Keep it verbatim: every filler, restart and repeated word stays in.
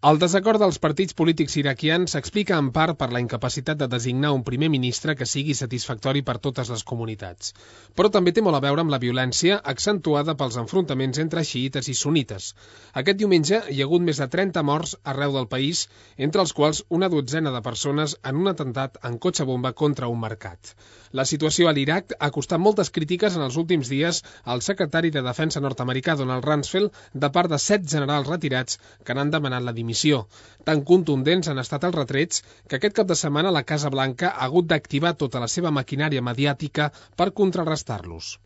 El desacord dels partits polítics iraquians s'explica en part per la incapacitat de designar un primer ministre que sigui satisfactori per totes les comunitats. Però també té molt a veure amb la violència accentuada pels enfrontaments entre xiïtes i sunites. Aquest diumenge hi ha hagut més de trenta morts arreu del país, entre els quals una dotzena de persones en un atemptat en cotxe bomba contra un mercat. La situació a l'Iraq ha costat moltes crítiques en els últims dies al secretari de Defensa nord-americà Donald Rumsfeld de part de set generals retirats que n'han demanat la dimissió. Tan contundents han estat els retrets que aquest cap de setmana la Casa Blanca ha hagut d'activar tota la seva maquinària mediàtica per contrarrestar-los.